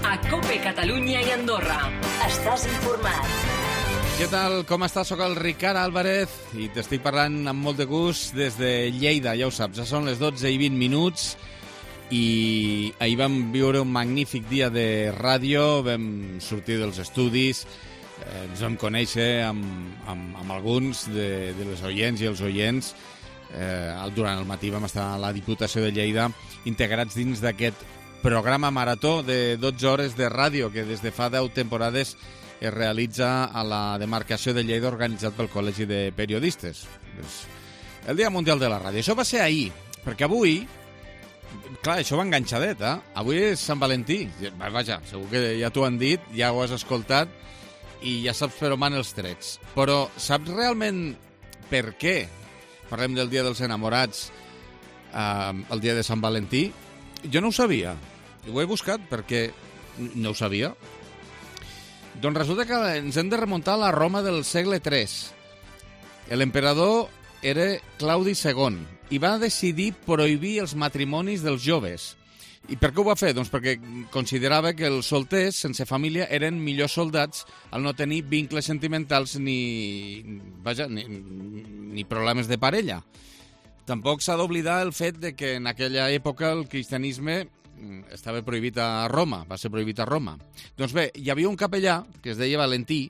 a COPE Catalunya i Andorra. Estàs informat. Què tal? Com estàs? Soc el Ricard Álvarez i t'estic parlant amb molt de gust des de Lleida, ja ho saps. Ja són les 12:20 i ahir vam viure un magnífic dia de ràdio, vam sortir dels estudis, ens vam conèixer amb alguns de les oients i els oients. Durant el matí vam estar a la Diputació de Lleida integrats dins d'aquest programa marató de 12 hores de ràdio que des de fa 10 temporades es realitza a la demarcació de Lleida organitzat pel Col·legi de Periodistes. El Dia Mundial de la Ràdio. Això va ser ahir, perquè avui, clar, això va enganxadet, avui és Sant Valentí. Vaja, segur que ja t'ho han dit, ja ho has escoltat i ja saps per on van els trets. Però saps realment per què parlem del Dia dels Enamorats el dia de Sant Valentí? Jo no ho sabia. Ho he buscat perquè no ho sabia. Doncs resulta que ens hem de remuntar a la Roma del segle III. L'emperador era Claudi II i va decidir prohibir els matrimonis dels joves. I per què ho va fer? Doncs perquè considerava que els solters sense família eren millors soldats al no tenir vincles sentimentals ni problemes de parella. Tampoc s'ha d'oblidar el fet de que en aquella època el cristianisme estava prohibit a Roma, va ser prohibit a Roma. Doncs bé, hi havia un capellà que es deia Valentí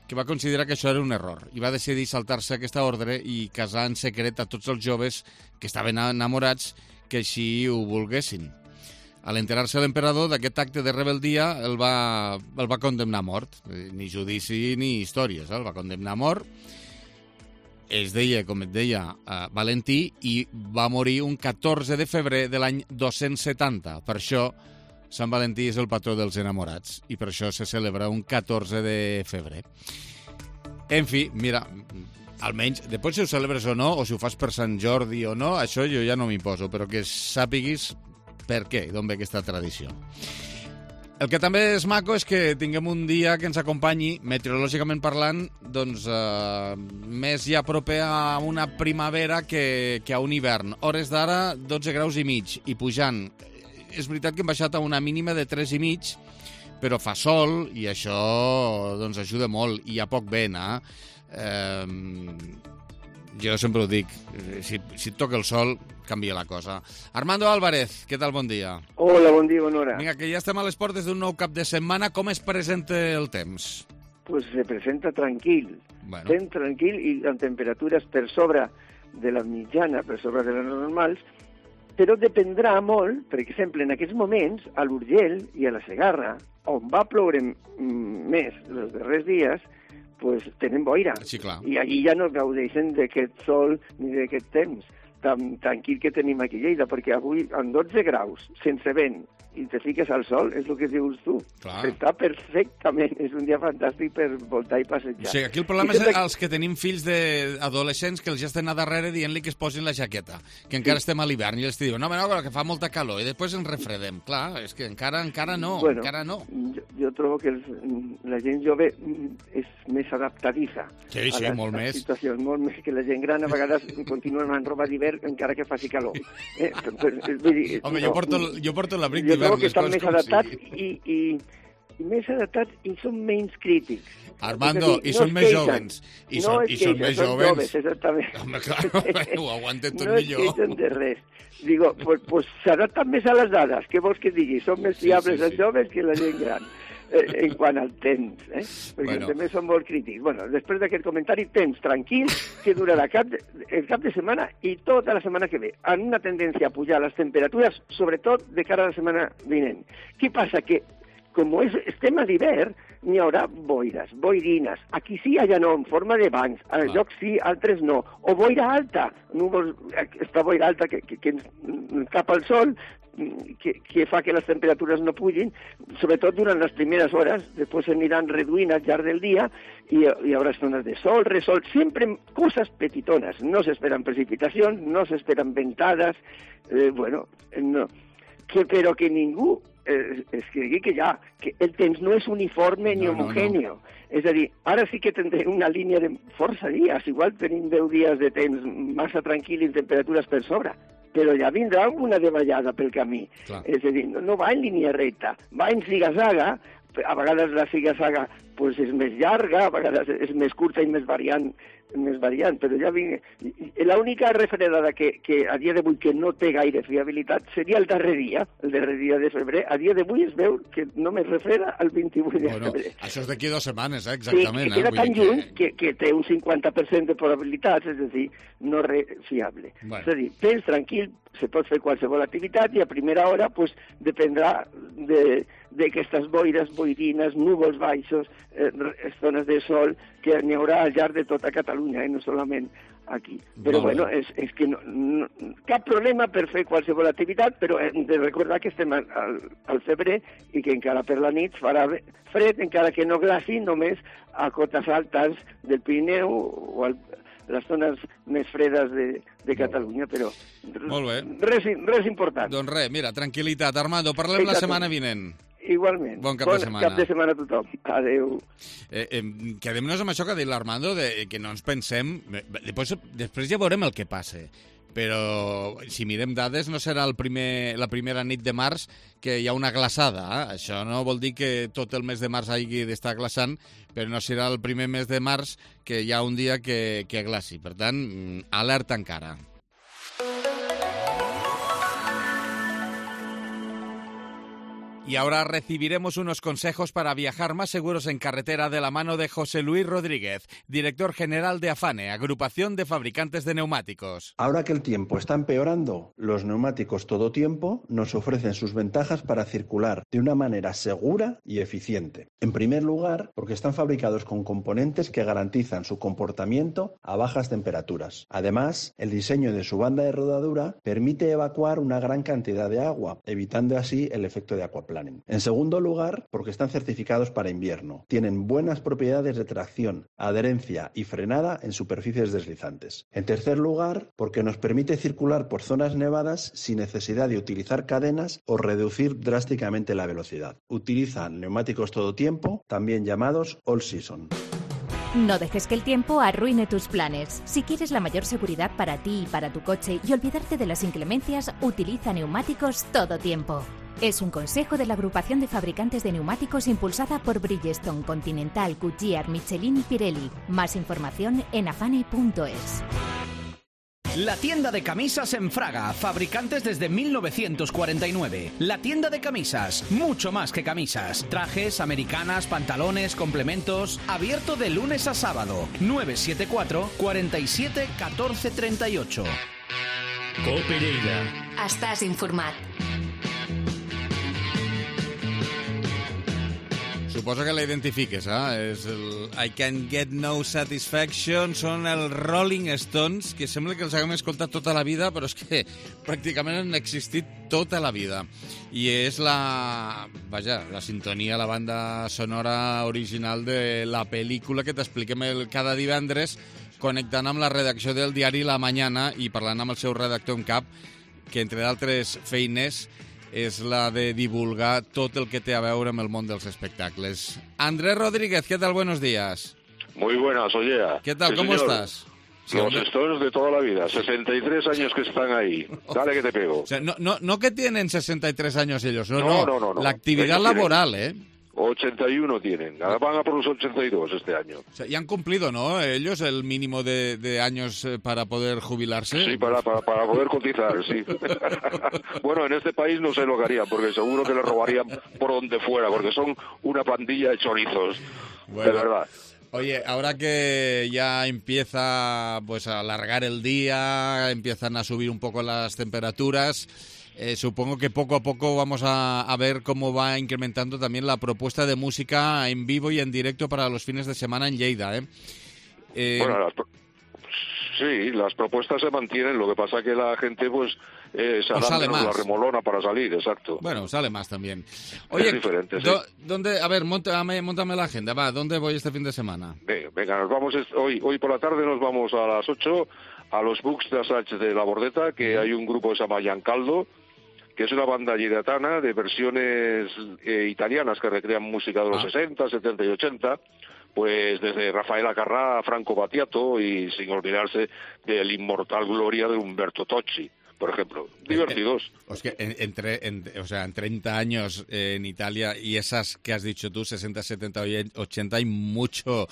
que va considerar que això era un error i va decidir saltar-se aquesta ordre i casar en secret a tots els joves que estaven enamorats que així ho volguessin. A l'enterar-se l'emperador d'aquest acte de rebeldia el va condemnar a mort. Ni judici ni històries, el va condemnar a mort. Es deia, com et deia, Valentí i va morir un 14 de febrer de l'any 270. Per això Sant Valentí és el patró dels enamorats i per això se celebra un 14 de febrer. En fi, mira, almenys, després si ho celebres o no, o si ho fas per Sant Jordi o no, això jo ja no m'hi poso, però que sàpiguis per què, d'on ve aquesta tradició. El que també és maco és que tinguem un dia que ens acompanyi, meteorològicament parlant, doncs més ja proper a una primavera que a un hivern. Hores d'ara, 12 graus i mig i pujant. És veritat que hem baixat a una mínima de 3 i mig, però fa sol i això doncs ajuda molt i hi ha poc vent, Jo sempre ho dic, si et toca el sol, canvia la cosa. Armando Álvarez, què tal? Bon dia. Hola, bon dia, bona hora. Vinga, que ja estem a les portes d'un nou cap de setmana. Com es presenta el temps? Pues se presenta tranquil. Bueno. Temps tranquil i amb temperatures per sobre de la mitjana, per sobre de les normals, però dependrà molt, per exemple, en aquests moments, a l'Urgell i a la Segarra, on va ploure més els darrers dies, pues tenen boira. Sí, clar. I allí ja no gaudeixen d'aquest sol ni d'aquest temps tan tranquil que tenim aquí a Lleida, perquè avui amb 12 graus, sense vent, i te fiques al sol, és el que dius tu. Clar. Està perfectament, és un dia fantàstic per voltar i passejar. O sigui, aquí el problema és els que tenim fills d'adolescents que els ja estan a darrere dient-li que es posin la jaqueta, que encara estem a l'hivern, i els diuen, no, que fa molta calor, i després ens refredem. Clar, és que encara no, bueno, encara no. Jo trobo que la gent jove és més adaptadiça a molt més. Situacions, molt més que la gent gran, a vegades continuen amb roba d'hivern encara que faci calor. Home, jo porto l'abric d'hivern. Jo trobo que estan més adaptats i més adaptats i són menys crítics. Armando, i són més jovens. I són més jovens. Exactament. Home, clar, ho aguanten tot millor. No es queixen de res. Digo, pues s'adapten més a les dades. Què vols que digui? Són més fiables els joves que la gent gran. En quant al temps, perquè també són molt crítics. Bueno, després d'aquest comentari, temps tranquil, que durarà el cap de setmana i tota la setmana que ve, amb una tendència a pujar les temperatures, sobretot de cara a la setmana vinent. Què passa? Que com estem a l'hivern, n'hi haurà boires, boirines. Aquí sí, allà no, en forma de bancs. A llocs sí, altres no. O boira alta. Esta boira alta que cap al sol, que fa que les temperatures no pugin, sobretot durant les primeres hores, després s'aniran reduint al llarg del dia i hi haurà estones de sol, resol, sempre coses petitones. No s'esperen precipitacions, no s'esperen ventades, no. Però que ningú es cregui que el temps no és uniforme ni homogèneo. És a dir, ara sí que tindrem una línia de força dies, igual tenim 10 dies de temps massa tranquil i temperatures per sobre, però després però ja vindrà alguna davallada pel camí. Clar. És a dir, no va en línia recta, va en ziga-zaga, a vegades la ziga-zaga pues, és més llarga, a vegades és més curta i més variant, però ja vinc... L'única refredada que a dia d'avui que no té gaire fiabilitat seria el darrer dia de febrer. A dia d'avui es veu que només refreda el 28 de febrer. Això és d'aquí 2 setmanes, exactament. Sí, que queda tan lluny que té un 50% de probabilitats, és a dir, no res fiable. Bueno. És a dir, tens tranquil, se pot fer qualsevol activitat i a primera hora pues, dependrà d'aquestes boires, boirines, núvols baixos, estones de sol, que n'hi haurà al llarg de tota Catalunya, no solament aquí. Però bueno, és que no, cap problema per fer qualsevol activitat, però hem de recordar que estem al febrer i que encara per la nit farà fred, encara que no glaci, només a cotes altes del Pirineu o les zones més fredes de Catalunya, però res important. Doncs res, mira, tranquil·litat. Armando, parlem la setmana vinent. Igualment. Bon cap de setmana. Cap de setmana a tothom. Adéu. Quedem-nos amb això que ha dit l'Armando, que no ens pensem... Després ja veurem el que passa. Però si mirem dades no serà la primera nit de març que hi ha una glaçada. Això no vol dir que tot el mes de març hagi d'estar glaçant, però no serà el primer mes de març que hi ha un dia que glaci. Per tant, alerta encara. Y ahora recibiremos unos consejos para viajar más seguros en carretera de la mano de José Luis Rodríguez, director general de AFANE, Agrupación de Fabricantes de Neumáticos. Ahora que el tiempo está empeorando, los neumáticos todo tiempo nos ofrecen sus ventajas para circular de una manera segura y eficiente. En primer lugar, porque están fabricados con componentes que garantizan su comportamiento a bajas temperaturas. Además, el diseño de su banda de rodadura permite evacuar una gran cantidad de agua, evitando así el efecto de aquaplaning. En segundo lugar, porque están certificados para invierno. Tienen buenas propiedades de tracción, adherencia y frenada en superficies deslizantes. En tercer lugar, porque nos permite circular por zonas nevadas sin necesidad de utilizar cadenas o reducir drásticamente la velocidad. Utilizan neumáticos todo tiempo, también llamados all season. No dejes que el tiempo arruine tus planes. Si quieres la mayor seguridad para ti y para tu coche y olvidarte de las inclemencias, utiliza neumáticos todo tiempo. Es un consejo de la Agrupación de Fabricantes de Neumáticos impulsada por Bridgestone, Continental, Goodyear, Michelin y Pirelli. Más información en afane.es. La tienda de camisas en Fraga, fabricantes desde 1949. La tienda de camisas, mucho más que camisas. Trajes, americanas, pantalones, complementos. Abierto de lunes a sábado. 974 47 14 38. Cope Lleida. Estàs informat. Suposo que la identifiques, És el I Can Get No Satisfaction, són els Rolling Stones, que sembla que els haguem escoltat tota la vida, però és que pràcticament han existit tota la vida. I és la sintonia, la banda sonora original de la pel·lícula que t'expliquem cada divendres, connectant amb la redacció del diari La Mañana i parlant amb el seu redactor en cap, que entre d'altres feines és la de divulgar tot el que té a veure amb el món dels espectacles. Andrés Rodríguez, ¿qué tal? Buenos días. Muy buenas, oye. ¿Qué tal? Sí, ¿Cómo señor. estás? Sí, los Stones de toda la vida, 63 años que están ahí. Dale que te pego. O sea, no que tienen 63 años ellos, no. La actividad laboral, ¿eh? 81 tienen, van a por los 82 este año. O sea, ya han cumplido, ¿no? Ellos el mínimo de años para poder jubilarse. Sí, para poder cotizar, sí. Bueno, en este país no sé lo que harían, porque seguro que le robarían por donde fuera, porque son una pandilla de chorizos, bueno, de verdad. Oye, ahora que ya empieza pues a alargar el día, empiezan a subir un poco las temperaturas, supongo que poco a poco vamos a ver cómo va incrementando también la propuesta de música en vivo y en directo para los fines de semana en Lleida, Bueno, sí, las propuestas se mantienen, lo que pasa que la gente pues se adapta a la remolona para salir, exacto. Bueno, sale más también. Oye, es diferente, sí. ¿Dónde? A ver, móntame la agenda, va, ¿dónde voy este fin de semana? Venga, nos vamos hoy por la tarde nos vamos a las 8 a los Books de Assaig de la Bordeta, que hay un grupo que se llama Giancaldo, que es una banda lleidatana de versiones italianas que recrean música de los 60, 70 y 80, pues desde Rafael Acarrà a Franco Battiato y sin olvidarse del inmortal gloria de Umberto Tocci. por ejemplo. Divertidos. Es que en 30 años en Italia y esas que has dicho tú, 60, 70, 80, hay mucho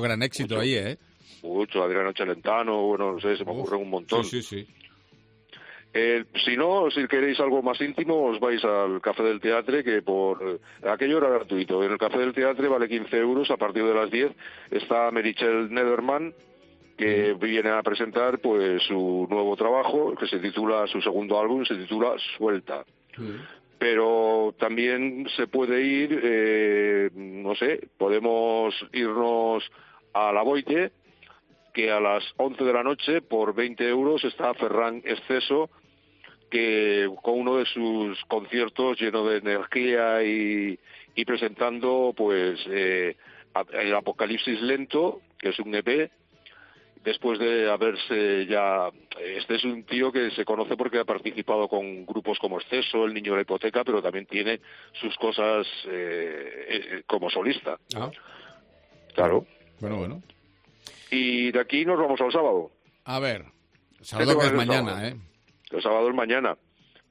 gran éxito ahí, ¿eh? Mucho, Adriano Celentano, bueno, no sé, se me ocurre un montón. Sí. Si no, si queréis algo más íntimo, os vais al Café del Teatre, que por aquello era gratuito. En el Café del Teatre vale 15 euros, a partir de las 10 está Merichel Nederman, que viene a presentar pues su nuevo trabajo, que se titula, su segundo álbum se titula Suelta. Pero también se puede ir, no sé, podemos irnos a La Boite, que a las 11 de la noche, por 20 euros, está Ferran Exceso, que con uno de sus conciertos lleno de energía y presentando pues el Apocalipsis Lento, que es un EP, después de haberse ya... Este es un tío que se conoce porque ha participado con grupos como Exceso, El Niño de la Hipoteca, pero también tiene sus cosas como solista. Claro. Bueno. Y de aquí nos vamos al sábado. A ver, sábado que es mañana, ¿eh? El sábado es mañana.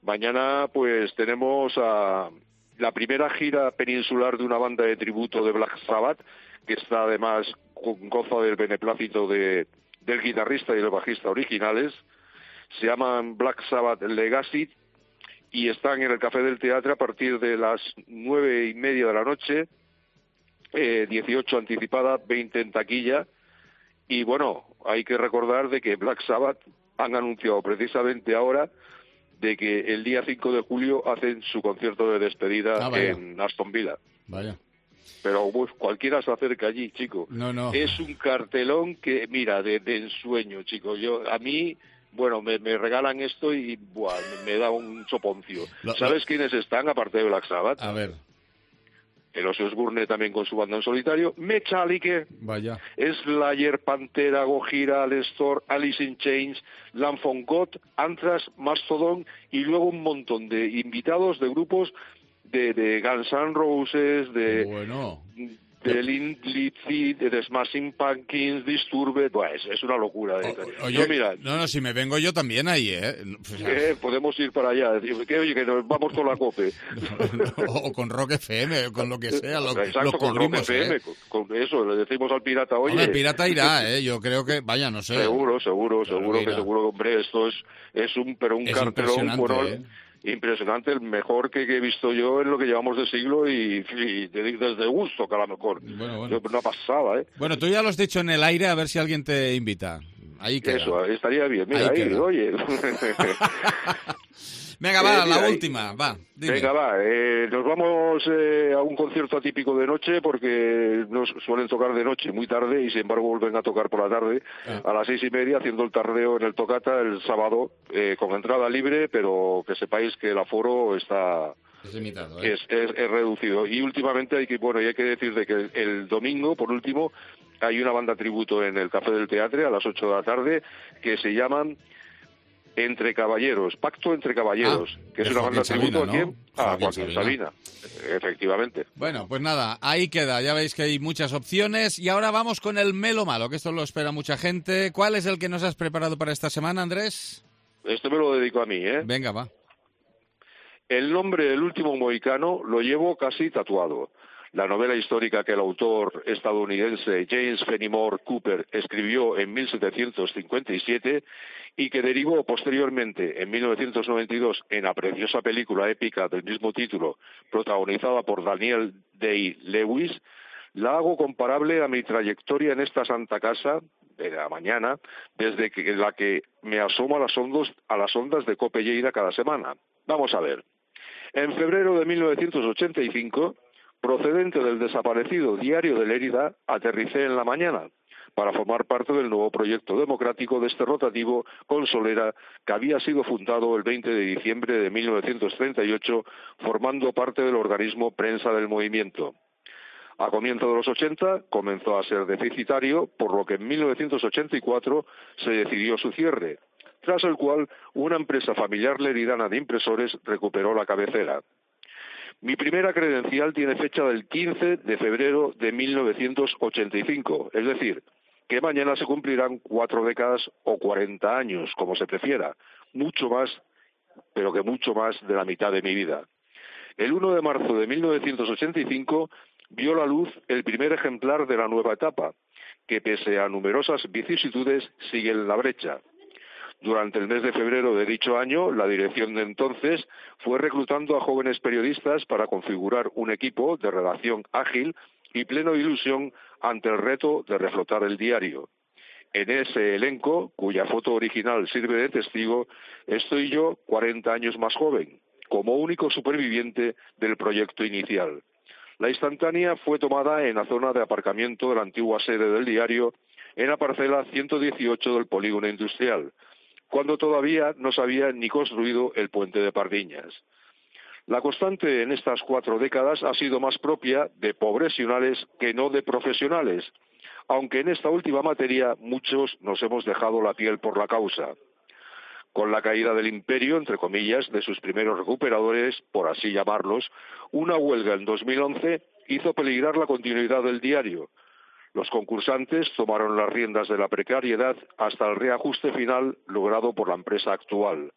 Mañana pues tenemos la primera gira peninsular de una banda de tributo de Black Sabbath, que está además goza del beneplácito del guitarrista y del bajista originales. Se llaman Black Sabbath Legacy y están en el Café del Teatre a partir de las 9:30 de la noche, 18 anticipada, 20 en taquilla. Y bueno, hay que recordar de que Black Sabbath han anunciado precisamente ahora de que el día 5 de julio hacen su concierto de despedida en Aston Villa. Vaya. Pero cualquiera se acerca allí, chico. No. Es un cartelón que, mira, de ensueño, chico. A mí, bueno, me regalan esto y me da un soponcio. ¿Sabes quiénes están, aparte de Black Sabbath? A ver. El Ozzy Osbourne también con su banda en solitario, Metallica, Vaya. Slayer, Pantera, Gojira, Alestor, Alice in Chains, Lamb of God, Anthrax, Mastodon y luego un montón de invitados de grupos de Guns N' Roses, de Limp Bizkit, de Smashing Pumpkins, Disturbed, pues es una locura. Oye, mira, no, si me vengo yo también ahí, podemos ir para allá, decir, que nos vamos con la COPE. O con Rock FM, o con lo que sea, exacto, con Rock FM, con eso, le decimos al pirata, oye... el pirata irá, yo creo que, vaya, no sé. Seguro, hombre, esto es un cartelón, bueno, impresionante, el mejor que he visto yo en lo que llevamos de siglo y desde gusto, que a lo mejor. Bueno. Una pasada, ¿eh? Bueno, tú ya lo has dicho en el aire, a ver si alguien te invita. Ahí queda. Eso, estaría bien. Mira, ahí oye. Venga, va, la última, va. Dime. Venga, va. Nos vamos a un concierto atípico de noche porque nos suelen tocar de noche muy tarde y sin embargo vuelven a tocar por la tarde a las 6:30 haciendo el tardeo en el Tocata el sábado con entrada libre, pero que sepáis que el aforo está... Es limitado, es reducido. Y últimamente hay que decir de que el domingo, por último, hay una banda tributo en el Café del Teatre a las 8 de la tarde que se llaman Entre Caballeros, Pacto Entre Caballeros, que es una banda tributo aquí a Joaquín Sabina. Efectivamente. Bueno, pues nada, ahí queda. Ya veis que hay muchas opciones y ahora vamos con el Melo Malo, que esto lo espera mucha gente. ¿Cuál es el que nos has preparado para esta semana, Andrés? Este me lo dedico a mí, ¿eh? Venga, va. El nombre del último mohicano lo llevo casi tatuado. La novela histórica que el autor estadounidense James Fenimore Cooper escribió en 1757 y que derivó posteriormente, en 1992, en la preciosa película épica del mismo título, protagonizada por Daniel Day-Lewis, la hago comparable a mi trayectoria en esta santa casa de la mañana, desde la que me asomo a las ondas de Cope Lleida cada semana. Vamos a ver. En febrero de 1985, procedente del desaparecido Diario de Lérida, aterricé en La Mañana para formar parte del nuevo proyecto democrático de este rotativo con Solera, que había sido fundado el 20 de diciembre de 1938, formando parte del organismo Prensa del Movimiento. A comienzos de los 80 comenzó a ser deficitario, por lo que en 1984 se decidió su cierre, tras el cual una empresa familiar leridana de impresores recuperó la cabecera. Mi primera credencial tiene fecha del 15 de febrero de 1985, es decir, que mañana se cumplirán 4 décadas o 40 años, como se prefiera, mucho más, pero que mucho más de la mitad de mi vida. El 1 de marzo de 1985 vio la luz el primer ejemplar de la nueva etapa, que pese a numerosas vicisitudes sigue en la brecha. Durante el mes de febrero de dicho año, la dirección de entonces fue reclutando a jóvenes periodistas para configurar un equipo de redacción ágil y pleno de ilusión ante el reto de reflotar el diario. En ese elenco, cuya foto original sirve de testigo, estoy yo 40 años más joven, como único superviviente del proyecto inicial. La instantánea fue tomada en la zona de aparcamiento de la antigua sede del diario, en la parcela 118 del polígono industrial, cuando todavía no se había ni construido el puente de Pardiñas. La constante en estas 4 décadas ha sido más propia de profesionales que no de profesionales, aunque en esta última materia muchos nos hemos dejado la piel por la causa. Con la caída del imperio, entre comillas, de sus primeros recuperadores, por así llamarlos, una huelga en 2011 hizo peligrar la continuidad del diario. Los concursantes tomaron las riendas de la precariedad hasta el reajuste final logrado por la empresa actual.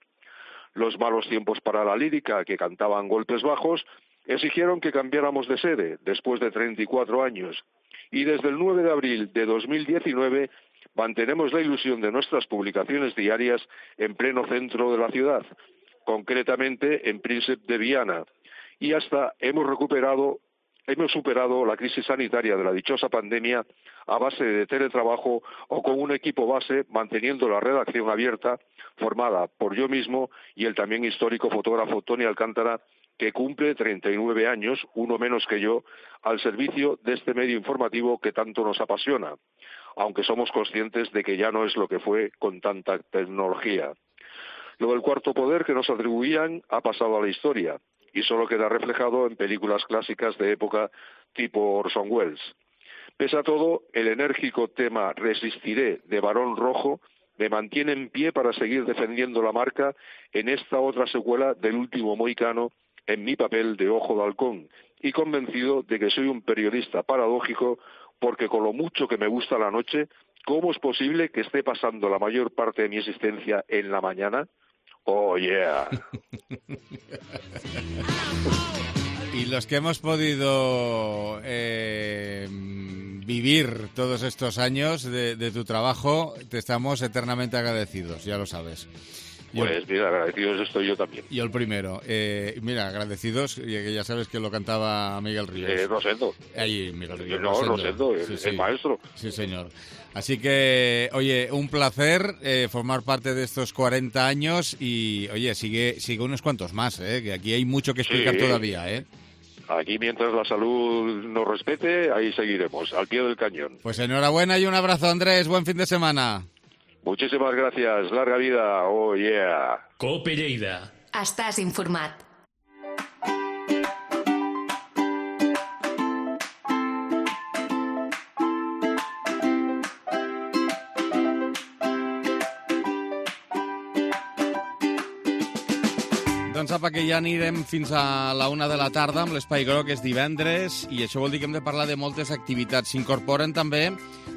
Los malos tiempos para la lírica, que cantaban golpes bajos, exigieron que cambiáramos de sede después de 34 años. Y desde el 9 de abril de 2019 mantenemos la ilusión de nuestras publicaciones diarias en pleno centro de la ciudad, concretamente en Príncipe de Viana, y hasta hemos superado la crisis sanitaria de la dichosa pandemia a base de teletrabajo o con un equipo base manteniendo la redacción abierta, formada por yo mismo y el también histórico fotógrafo Tony Alcántara, que cumple 39 años, uno menos que yo, al servicio de este medio informativo que tanto nos apasiona, aunque somos conscientes de que ya no es lo que fue con tanta tecnología. Lo del cuarto poder que nos atribuían ha pasado a la historia y solo queda reflejado en películas clásicas de época tipo Orson Welles. Pese a todo, el enérgico tema Resistiré de Barón Rojo me mantiene en pie para seguir defendiendo la marca en esta otra secuela del Último Mohicano en mi papel de Ojo de Halcón y convencido de que soy un periodista paradójico porque con lo mucho que me gusta la noche, ¿cómo es posible que esté pasando la mayor parte de mi existencia en la mañana? ¡Oh, yeah! Y los que hemos podido vivir todos estos años de tu trabajo, te estamos eternamente agradecidos, ya lo sabes. Pues mira, agradecidos estoy yo también. Yo el primero. Mira, agradecidos, que ya sabes que lo cantaba Miguel Ríos. Rosendo. Ahí, Miguel Ríos. No, Rosendo, el maestro. Sí, señor. Así que, oye, un placer formar parte de estos 40 años y, oye, sigue unos cuantos más, que aquí hay mucho que explicar todavía, Aquí, mientras la salud nos respete, ahí seguiremos, al pie del cañón. Pues enhorabuena y un abrazo, Andrés. Buen fin de semana. Muchísimas gracias. Larga vida. Oh, yeah. Cope Lleida. Estàs informat. Doncs apa, que ja anirem fins a la 1 de la tarda amb l'Espai Groc, és divendres, i això vol dir que hem de parlar de moltes activitats. S'incorporen també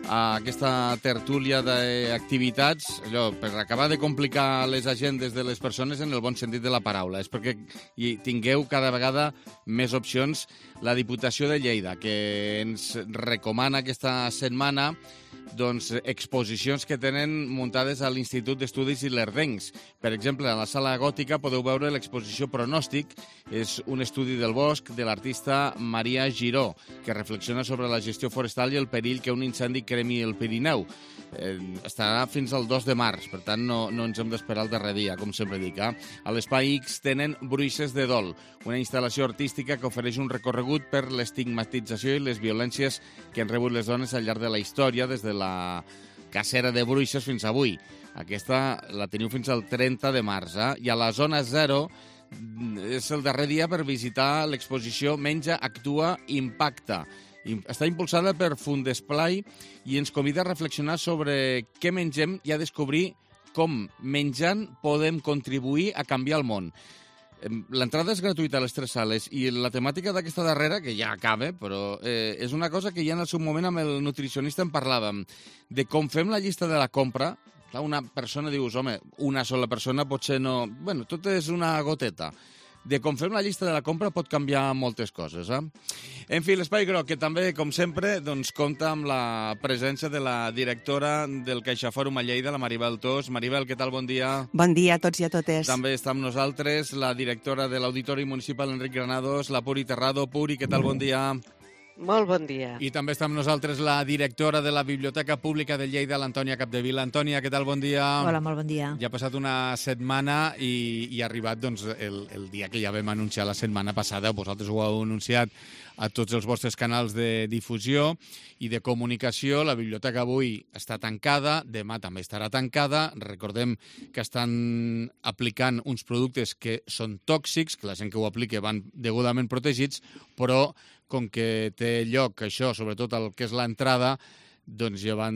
a aquesta tertúlia d'activitats, allò, per acabar de complicar les agendes de les persones en el bon sentit de la paraula. És perquè hi tingueu cada vegada més opcions. La Diputació de Lleida, que ens recomana aquesta setmana doncs, exposicions que tenen muntades a l'Institut d'Estudis Ilerdencs. Per exemple, a la Sala Gòtica podeu veure l'exposició Pronòstic. És un estudi del bosc de l'artista Maria Giró, que reflexiona sobre la gestió forestal i el perill que un incendi cremi el Pirineu. Estarà fins al 2 de març, per tant no ens hem d'esperar el darrer dia, com sempre dic. A l'Espai X tenen Bruixes de Dol, una instal·lació artística que ofereix un recorregut per l'estigmatització i les violències que han rebut les dones al llarg de la història, des de la cacera de bruixes fins avui. Aquesta la teniu fins al 30 de març. I a la Zona 0 és el darrer dia per visitar l'exposició Menja, Actua, Impacta. Està impulsada per Fundesplai i ens convida a reflexionar sobre què mengem i a descobrir com menjant podem contribuir a canviar el món. L'entrada és gratuïta a les 3 sales i la temàtica d'aquesta darrera, que ja acaba, però és una cosa que ja en el seu moment amb el nutricionista en parlàvem, de com fem la llista de la compra, Clar, una persona dius, home, una sola persona potser no... Bueno, tot és una goteta. De com fem la llista de la compra pot canviar moltes coses, eh? En fi, l'Espai Groc, que també, com sempre, doncs, compta amb la presència de la directora del CaixaFòrum a Lleida, la Maribel Tos. Maribel, què tal? Bon dia. Bon dia a tots i a totes. També està amb nosaltres la directora de l'Auditori Municipal, Enric Granados, la Puri Terrado. Puri, què tal? Bon dia. Molt bon dia. I també està amb nosaltres la directora de la Biblioteca Pública de Lleida, l'Antònia Capdevila. Antònia, què tal? Bon dia. Hola, molt bon dia. Ja ha passat una setmana i ha arribat doncs, el dia que ja vam anunciar la setmana passada. Vosaltres ho heu anunciat a tots els vostres canals de difusió i de comunicació. La biblioteca avui està tancada, demà també estarà tancada. Recordem que estan aplicant uns productes que són tòxics, que la gent que ho aplica van degudament protegits, però com que té lloc això, sobretot el que és l'entrada, doncs ja van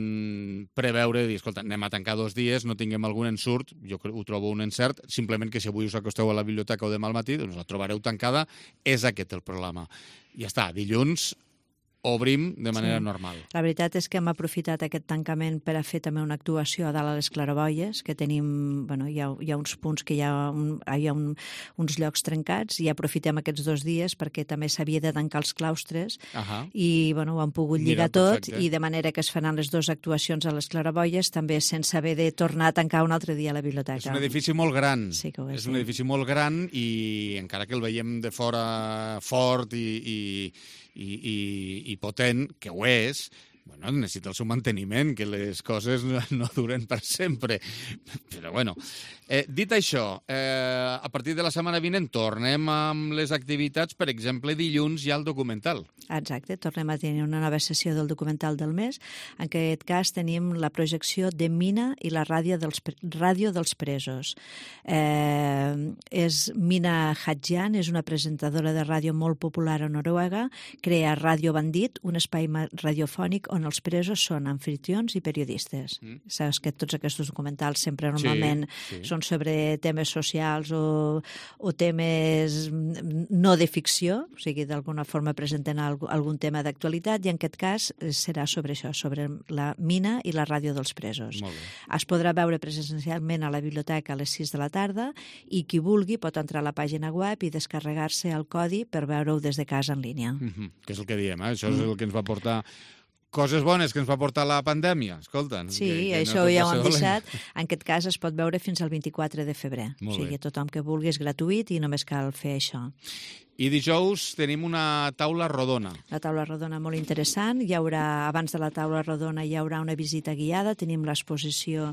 preveure, dir, escolta, anem a tancar 2 dies, no tinguem algun ensurt, jo ho trobo un encert, simplement que si avui us acosteu a la biblioteca o demà al matí, doncs la trobareu tancada, és aquest el problema. Ja està, dilluns obrim de manera normal. La veritat és que hem aprofitat aquest tancament per a fer també una actuació a dalt a les claraboies, que tenim, bueno, hi ha uns punts que hi ha uns llocs trencats i aprofitem aquests 2 dies perquè també s'havia de tancar els claustres i bueno, ho han pogut lligar tot i de manera que es faran les 2 actuacions a les claraboies també sense haver de tornar a tancar un altre dia a la biblioteca. És un edifici molt gran. Sí que ho és. És un edifici molt gran i encara que el veiem de fora fort i potent, que ho és, bueno, necessita el seu manteniment, que les coses no duren per sempre. Però, bueno, dit això, a partir de la setmana vinent tornem amb les activitats, per exemple, dilluns hi ha el documental. Exacte, tornem a tenir una nova sessió del documental del mes. En aquest cas tenim la projecció de Mina i la ràdio dels presos. És Mina Hadjian, és una presentadora de ràdio molt popular a Noruega, crea Ràdio Bandit, un espai radiofònic on els presos són anfitrions i periodistes. Saps que tots aquests documentals sempre normalment són sobre temes socials o temes no de ficció, o sigui, d'alguna forma presenten algun tema d'actualitat, i en aquest cas serà sobre això, sobre la Mina i la ràdio dels presos. Es podrà veure presencialment a la biblioteca a les 6 de la tarda i qui vulgui pot entrar a la pàgina web i descarregar-se el codi per veure-ho des de casa en línia. Que és el que diem, això és el que ens va portar coses bones que ens va portar la pandèmia, escolta. Sí, això ja ho hem deixat. En aquest cas es pot veure fins al 24 de febrer. O sigui, tothom que vulgui és gratuït i només cal fer això. I dijous tenim una taula rodona. La taula rodona molt interessant. Abans de la taula rodona hi haurà una visita guiada. Tenim l'exposició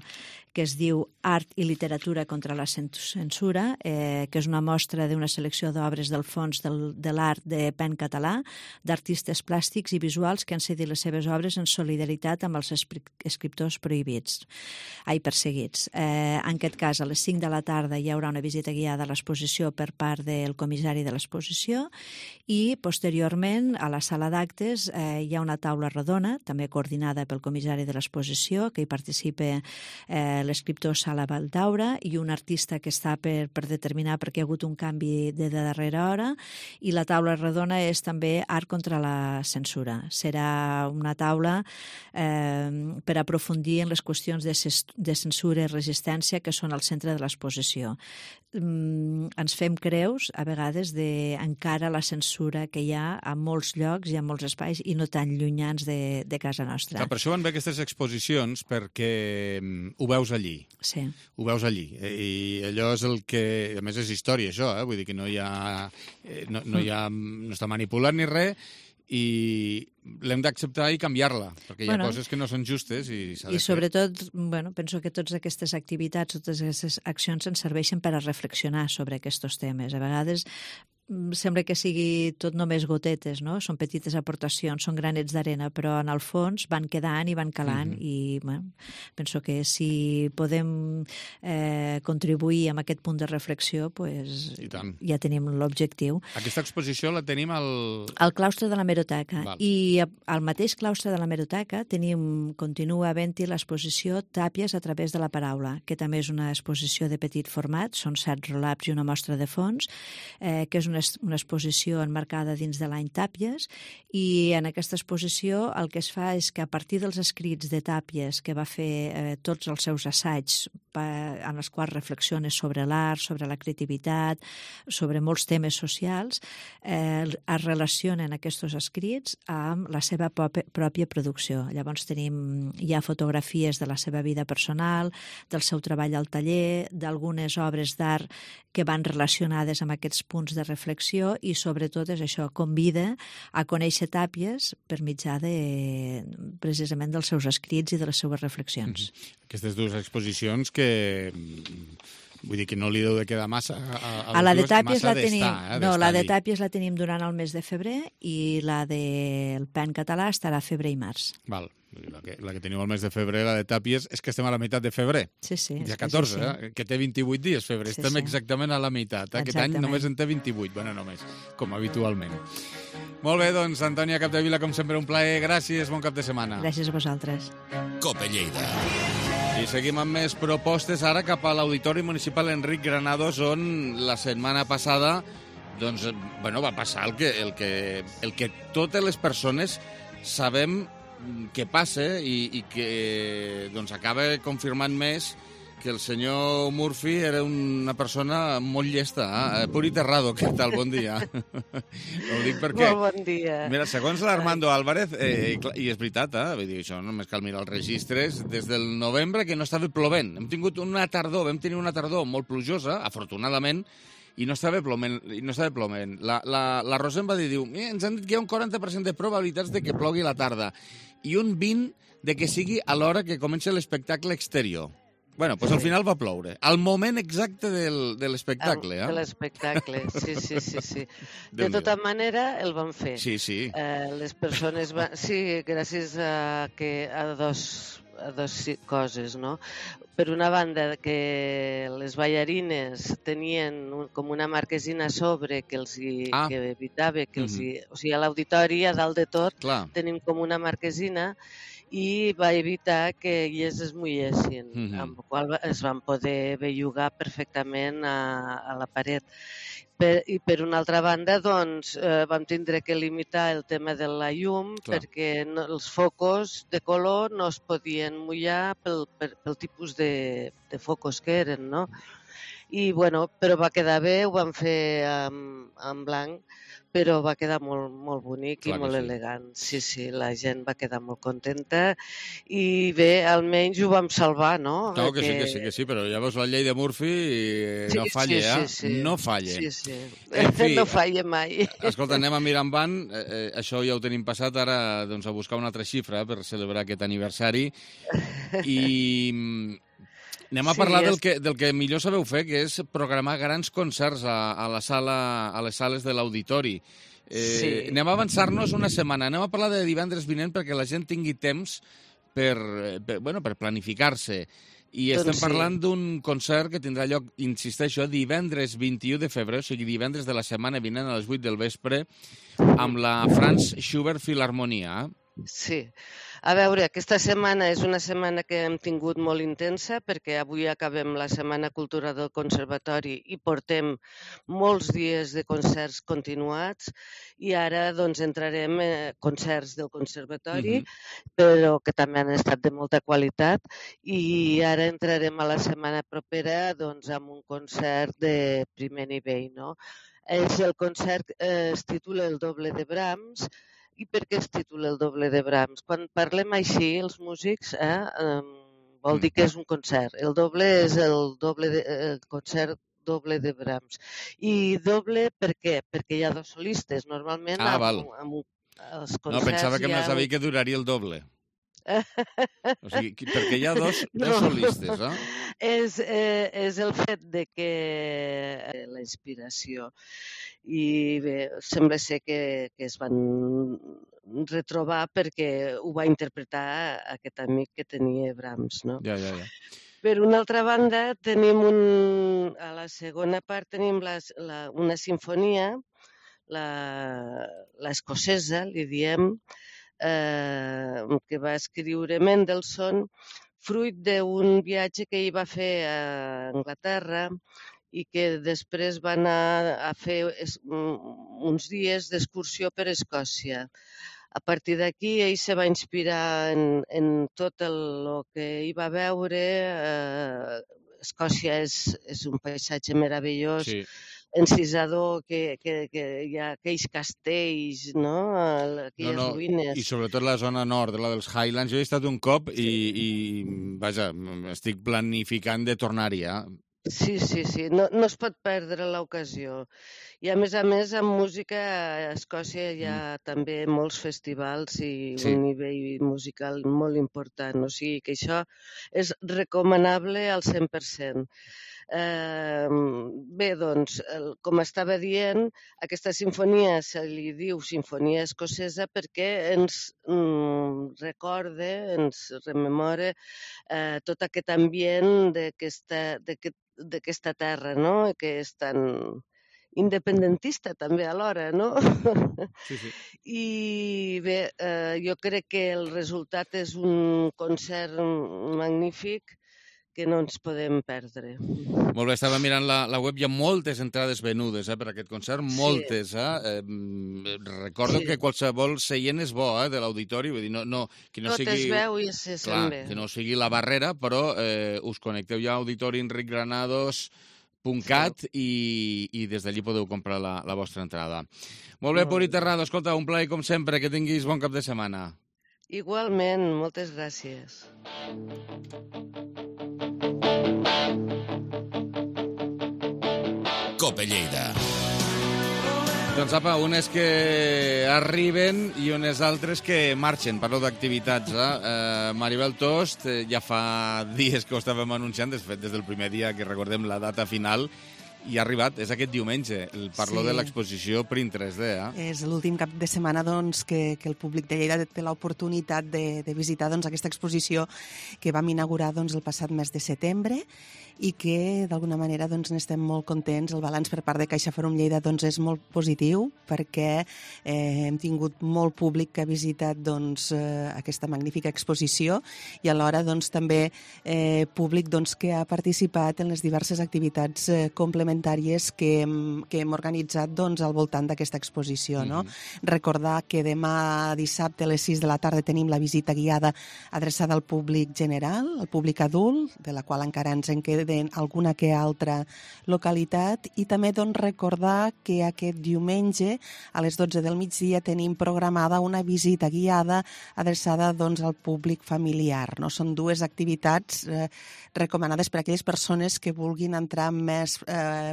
que es diu Art i literatura contra la censura, que és una mostra d'una selecció d'obres del Fons de l'Art de Pen Català, d'artistes plàstics i visuals que han cedit les seves obres en solidaritat amb els escriptors perseguits. En aquest cas, a les 5 de la tarda hi haurà una visita guiada a l'exposició per part del comissari de l'exposició i, posteriorment, a la sala d'actes hi ha una taula rodona, també coordinada pel comissari de l'exposició, que hi participa l'escriptor Sala Valdaura i un artista que està per determinar perquè hi ha hagut un canvi de darrera hora, i la taula rodona és també Art contra la censura. Serà una taula per aprofundir en les qüestions de censura i resistència que són al centre de l'exposició. Ens fem creus, a vegades, encara la censura que hi ha a molts llocs i a molts espais i no tan llunyans de casa nostra. Per això van bé aquestes exposicions, perquè ho veus allí. Sí. Ho veus allí. I allò és el que... A més, és història, això, vull dir que no està manipulat ni res, i l'hem d'acceptar i canviar-la, perquè hi ha coses que no són justes i s'ha de fer. I sobretot, penso que totes aquestes activitats, totes aquestes accions ens serveixen per a reflexionar sobre aquests temes. A vegades sembla que sigui tot només gotetes, no? Són petites aportacions, són granets d'arena, però en el fons van quedant i van calant i penso que si podem contribuir amb aquest punt de reflexió, ja tenim l'objectiu. Aquesta exposició la tenim al claustre de l'hemeroteca. I al mateix claustre de l'hemeroteca continua havent-hi l'exposició Tàpies a través de la paraula, que també és una exposició de petit format, són 7 relaps i una mostra de fons, que és una una exposició enmarcada dins de l'any Tàpies, i en aquesta exposició el que es fa és que a partir dels escrits de Tàpies, que va fer tots els seus assaigs en els quals reflexiona sobre l'art, sobre la creativitat, sobre molts temes socials, es relacionen aquests escrits amb la seva pròpia producció. Llavors hi ha fotografies de la seva vida personal, del seu treball al taller, d'algunes obres d'art que van relacionades amb aquests punts de reflexió, i sobretot és això, convida a conèixer Tàpies per mitjà precisament dels seus escrits i de les seues reflexions. Aquestes dues exposicions que... Vull dir que no li deu de quedar massa a la de Tàpies la tenim, la de Tàpies la tenim durant el mes de febrer, i la del PEN català estarà febrer i març. Val. La que teniu al mes de febrer, la de Tàpies, és que estem a la meitat de febrer. Sí, sí. Dia 14, que té 28 dies febrer. Estem exactament a la meitat. Aquest any només en té 28. Bueno, només, com habitualment. Molt bé, doncs, Antònia Capdevila, com sempre, un plaer. Gràcies, bon cap de setmana. Gràcies a vosaltres. Cope Lleida. I seguim amb més propostes ara cap a l'Auditori Municipal Enric Granados, on la setmana passada va passar el que totes les persones sabem que passa i que acaba confirmant més que el senyor Murphy era una persona molt llesta. Puri Terrado, què tal? Bon dia. Ho dic perquè... Molt bon dia. Mira, segons l'Armando Álvarez, i és veritat, vull dir, això només cal mirar els registres, des del novembre que no estava plovent. Vam tenir una tardor molt plujosa, afortunadament, i no estava plovent. La Rosa em va dir, ens han dit que hi ha un 40% de probabilitats de que plogui a la tarda i un 20% de que sigui a l'hora que comença l'espectacle exterior. Bueno, doncs al final va ploure. Al moment exacte de l'espectacle. De l'espectacle, sí. De tota manera, el van fer. Sí. Les persones van... Sí, gràcies a dos coses, no? Per una banda, que les ballarines tenien com una marquesina a sobre que evitava que els... O sigui, a l'auditori, a dalt de tot, tenim com una marquesina, i va evitar que ells es mullessin, amb la qual es van poder bellugar perfectament a la paret. I per una altra banda, doncs, vam tindre que limitar el tema de la llum perquè els focus de color no es podien mullar pel tipus de focus que eren, no? I, bueno, però va quedar bé, ho vam fer en blanc, però va quedar molt bonic i molt elegant. Sí, la gent va quedar molt contenta i bé, almenys ho vam salvar, no? No, que sí, però llavors la llei de Murphy no falla, no falla. Sí. No falla mai. Escolta, anem a mirar en van, això ja ho tenim passat, ara a buscar una altra xifra per celebrar aquest aniversari i... Anem a parlar del que millor sabeu fer, que és programar grans concerts a les sales de l'auditori. Anem a avançar-nos una setmana. Anem a parlar de divendres vinent perquè la gent tingui temps per planificar-se. I estem parlant d'un concert que tindrà lloc, insisteixo, divendres 21 de febrer, o sigui, divendres de la setmana vinent a les 8 del vespre, amb la Franz Schubert Filharmonia. Sí. A veure, aquesta setmana és una setmana que hem tingut molt intensa perquè avui acabem la Setmana Cultura del Conservatori i portem molts dies de concerts continuats i ara doncs entrarem concerts del Conservatori, però que també han estat de molta qualitat, i ara entrarem a la setmana propera doncs amb un concert de primer nivell, no? El concert es titula El doble de Brahms. I per què es titula El doble de Brahms? Quan parlem així, els músics, vol dir que és un concert. El doble és el concert doble de Brahms. I doble per què? Perquè hi ha dos solistes. Normalment val. Els concerts... No, pensava que m'has dit que duraria el doble. O sigui, perquè hi ha dos solistes, eh? És el fet de que la inspiració. I bé, sembla ser que es van retrobar perquè ho va interpretar aquest amic que tenia Brahms, no? Ja. Per una altra banda, tenim a la segona part tenim una sinfonia, l'escocesa, li diem, que va escriure Mendelssohn, fruit d'un viatge que ell va fer a Anglaterra i que després va anar a fer uns dies d'excursió per Escòcia. A partir d'aquí, ell se va inspirar en tot el que hi va veure. Escòcia és un paisatge meravellós, encisador, que hi ha aquells castells, no? Aquelles ruïnes. I sobretot la zona nord, la dels Highlands. Jo he estat un cop i vaja, estic planificant de tornar-hi, Sí. No es pot perdre l'ocasió. I a més, amb música a Escòcia hi ha també molts festivals i un nivell musical molt important. O sigui que això és recomanable al 100%. Bé, doncs, com estava dient, aquesta sinfonia se li diu Sinfonia Escocesa perquè ens recorda, ens rememora tot aquest ambient d'aquesta terra, no?, que és tan independentista també alhora, no? Sí. I bé, jo crec que el resultat és un concert magnífic que no ens podem perdre. Molt bé, estava mirant la web, hi ha moltes entrades venudes per aquest concert, moltes. Recordo que qualsevol seient és bo de l'auditori, vull dir, que no sigui... Tot es veu i se sent bé. Que no sigui la barrera, però us connecteu ja a auditorienricgranados.cat i des d'allí podeu comprar la vostra entrada. Molt bé, Puri Terrado, escolta, un plaer com sempre, que tinguis bon cap de setmana. Igualment, moltes gràcies. Cope Lleida. Doncs apa, unes que arriben i unes altres que marxen. Parlo d'activitats. Maribel Tost, ja fa dies que ho estàvem anunciant, de fet, des del primer dia que recordem la data final, i ha arribat, és aquest diumenge. Parlo de l'exposició Print 3D. És l'últim cap de setmana que el públic de Lleida té l'oportunitat de visitar aquesta exposició que vam inaugurar el passat mes de setembre i que d'alguna manera n'estem molt contents. El balanç per part de Caixa Forum Lleida és molt positiu perquè hem tingut molt públic que ha visitat aquesta magnífica exposició i alhora també públic que ha participat en les diverses activitats complementàries que hem organitzat al voltant d'aquesta exposició. Recordar que demà dissabte a les 6 de la tarda tenim la visita guiada adreçada al públic general, al públic adult, de la qual encara ens en queden alguna que altra localitat, i també recordar que aquest diumenge a les 12 del migdia tenim programada una visita guiada adreçada al públic familiar. Són dues activitats recomanades per a aquelles persones que vulguin entrar més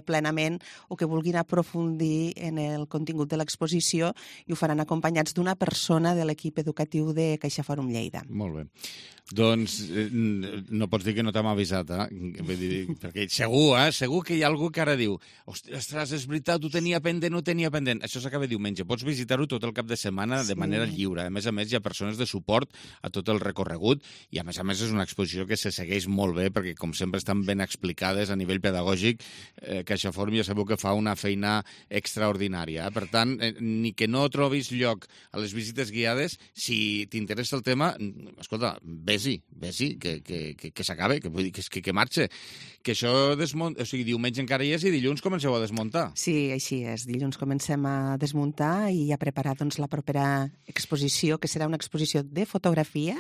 plenament o que vulguin aprofundir en el contingut de l'exposició, i ho faran acompanyats d'una persona de l'equip educatiu de Caixa Forum Lleida. Molt bé. Doncs no pots dir que no t'hem avisat, perquè segur que hi ha algú que ara diu ostres, és veritat, ho tenia pendent, Això s'acaba diumenge. Pots visitar-ho tot el cap de setmana de manera lliure. A més, hi ha persones de suport a tot el recorregut i, a més, és una exposició que se segueix molt bé perquè, com sempre, estan ben explicades a nivell pedagògic. Caixa Forum ja sabeu que fa una feina extraordinària. Per tant, ni que no trobis lloc a les visites guiades, si t'interessa el tema, escolta, vés-hi, que s'acabe, que marxe. Que això diumenge encara hi és i dilluns comenceu a desmuntar. Sí, així és. Dilluns comencem a desmuntar i a preparar la propera exposició, que serà una exposició de fotografia.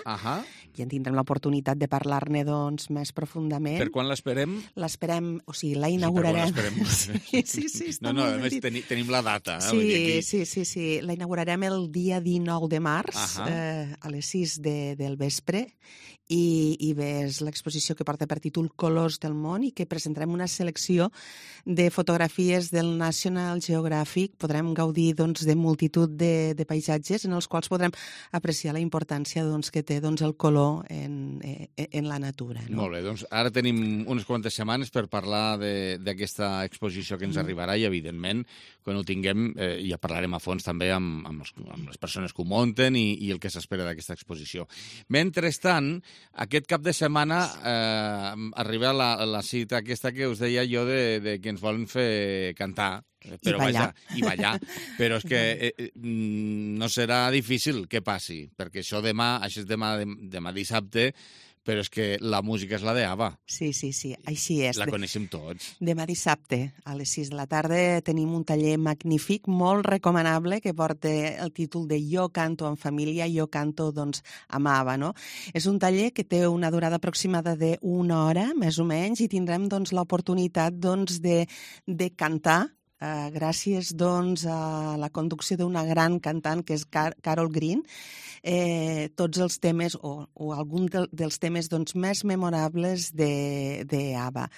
I en tindrem l'oportunitat de parlar-ne més profundament. Per quan l'esperem? L'esperem, la inaugurarem. Sí, a més tenim la data. Sí. La inaugurarem el dia 19 de març, a les 6 del vespre, i bé, és l'exposició que porta per títol Colors del món i que presentarem una selecció de fotografies del National Geographic. Podrem gaudir de multitud de paisatges en els quals podrem apreciar la importància que té el color en la natura. Molt bé, doncs ara tenim unes quantes setmanes per parlar d'aquesta exposició que ens arribarà i, evidentment, quan ho tinguem ja parlarem a fons també amb les persones que ho munten i el que s'espera d'aquesta exposició. Mentrestant, aquest cap de setmana arriba la cita aquesta que us deia jo de que ens volen fer cantar. Però i ballar. Però és que no serà difícil que passi, perquè això és demà dissabte, però és que la música és la d'Ava. Sí, així és. La coneixem tots. Demà dissabte, a les 6 de la tarda, tenim un taller magnífic, molt recomanable, que porta el títol de Jo canto en família, jo canto, doncs, amb Ava, no? És un taller que té una durada aproximada d'una hora, més o menys, i tindrem, doncs, l'oportunitat, doncs, de cantar, gràcies doncs, a la conducció d'una gran cantant que és Carol Green, tots els temes o algun dels temes doncs, més memorables d'Ava.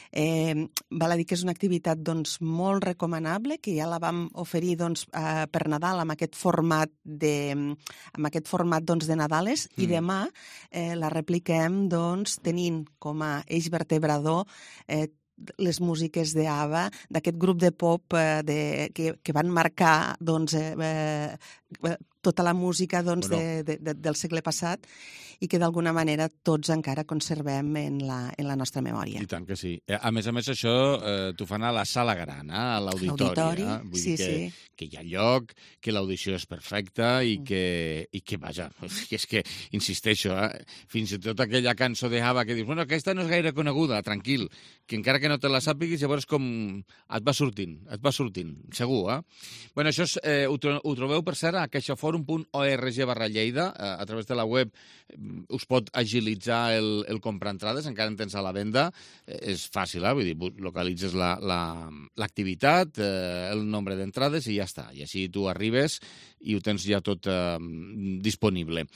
Val a dir que és una activitat doncs, molt recomanable, que ja la vam oferir doncs, per Nadal amb aquest format doncs, de Nadales, i demà la repliquem doncs, tenint com a eix vertebrador les músiques d'Ava, d'aquest grup de pop que van marcar doncs, tota la música doncs, del segle passat i que d'alguna manera tots encara conservem en la nostra memòria. I tant que sí. A més, això t'ho fan a la sala gran, a l'auditori. Vull dir que hi ha lloc, que l'audició és perfecta i que vaja, és que, insisteixo, fins i tot aquella cançó d'Ava que dius, bueno, aquesta no és gaire coneguda, tranquil, que encara que no te la sàpiguis, llavors com et va sortint, segur, Bueno, això ho trobeu, per cert, a caixaforum.org/Lleida, a través de la web us pot agilitzar el comprar entrades, encara en tens a la venda, és fàcil, vull dir, localitzes l'activitat, el nombre d'entrades i ja està, i així tu arribes i ho tens ja tot disponible.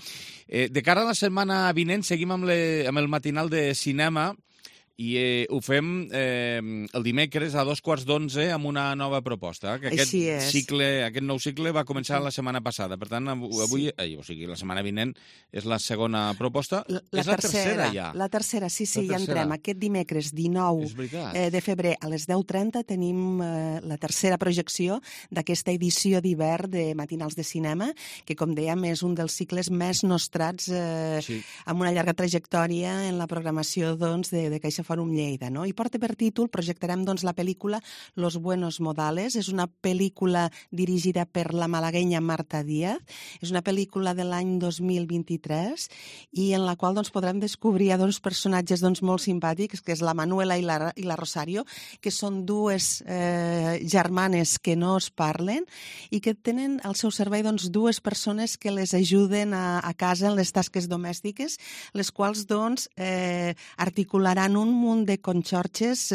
De cara a la setmana vinent seguim amb el matinal de cinema i ho fem el dimecres a 11:15 amb una nova proposta. Que aquest nou cicle va començar la setmana passada. Per tant, avui, o sigui, la setmana vinent és la segona proposta. És la tercera ja. La tercera, sí, ja entrem. Aquest dimecres 19 de febrer a les 10:30 tenim la tercera projecció d'aquesta edició d'hivern de Matinals de Cinema, que, com dèiem, és un dels cicles més nostrats amb una llarga trajectòria en la programació doncs, de Caixa Fòrum Lleida, no? I porta per títol, projectarem doncs, la pel·lícula Los Buenos Modales. És una pel·lícula dirigida per la malaguenya Marta Díaz. És una pel·lícula de l'any 2023 i en la qual doncs, podrem descobrir dos personatges doncs, molt simpàtics, que és la Manuela i la Rosario, que són dues germanes que no es parlen i que tenen al seu servei doncs, dues persones que les ajuden a casa en les tasques domèstiques, les quals doncs, articularan un munt de conxorxes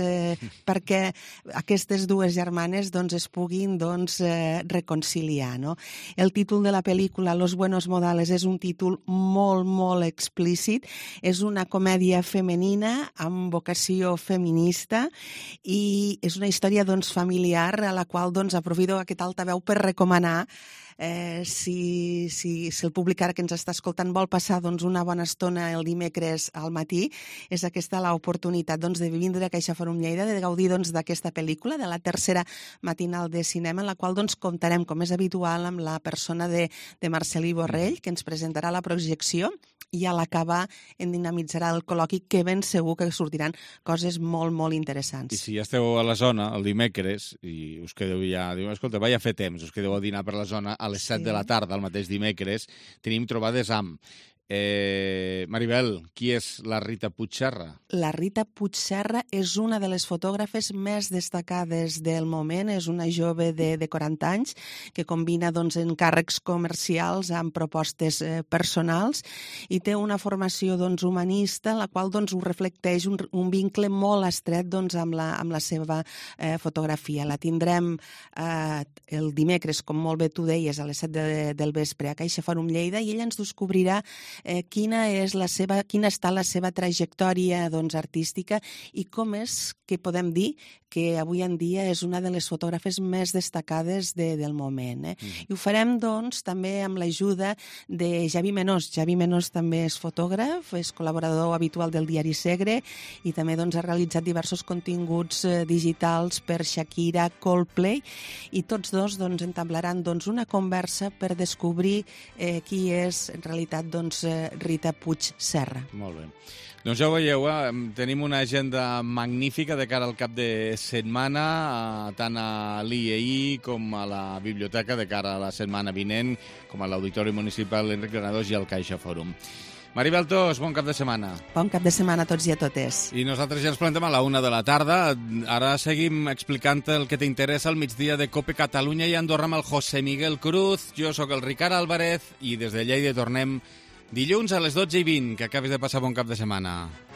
perquè aquestes dues germanes doncs, es puguin doncs, reconciliar. No? El títol de la pel·lícula Los Buenos Modales és un títol molt, molt explícit. És una comèdia femenina amb vocació feminista i és una història doncs, familiar a la qual doncs, aprofito aquest altaveu per recomanar si el públic ara que ens està escoltant vol passar doncs, una bona estona el dimecres al matí, és aquesta l'oportunitat doncs, de vindre a Caixa Fòrum Lleida, de gaudir doncs, d'aquesta pel·lícula, de la tercera matinal de cinema, en la qual doncs, comptarem, com és habitual, amb la persona de Marcelí Borrell, que ens presentarà la projecció i a l'acabar en dinamitzarà el col·loqui, que ben segur que sortiran coses molt, molt interessants. I si ja esteu a la zona el dimecres i us quedeu ja, diu, escolta, vaig a fer temps, us quedeu a dinar per la zona a les 7 de la tarda, el mateix dimecres, tenim trobades amb Maribel, qui és la Rita Puigserra? La Rita Puigserra és una de les fotògrafes més destacades del moment. És una jove de 40 anys que combina doncs, encàrrecs comercials amb propostes personals i té una formació doncs, humanista, en la qual doncs, ho reflecteix un vincle molt estret doncs, amb la seva fotografia. La tindrem el dimecres, com molt bé tu deies, a les 7 del vespre a Caixa Fòrum Lleida, i ella ens descobrirà quina està la seva trajectòria doncs, artística i com és que podem dir que avui en dia és una de les fotògrafes més destacades del moment. I ho farem doncs, també amb l'ajuda de Javi Menós. Javi Menós també és fotògraf, és col·laborador habitual del diari Segre i també doncs, ha realitzat diversos continguts digitals per Shakira, Coldplay, i tots dos doncs, entablaran doncs, una conversa per descobrir qui és en realitat doncs, Rita Puigserra. Molt bé. Doncs ja ho veieu, tenim una agenda magnífica de cara al cap de setmana, tant a l'IEI com a la biblioteca de cara a la setmana vinent, com a l'Auditori Municipal Enric Granados i al Caixa Fòrum. Maribel Tos, bon cap de setmana. Bon cap de setmana a tots i a totes. I nosaltres ja ens plantem a la 1 de la tarda. Ara seguim explicant el que t'interessa al migdia de COPE Catalunya i Andorra amb el José Miguel Cruz. Jo sóc el Ricard Álvarez i des de Lleida tornem dilluns a les 12:20. Que acabis de passar bon cap de setmana.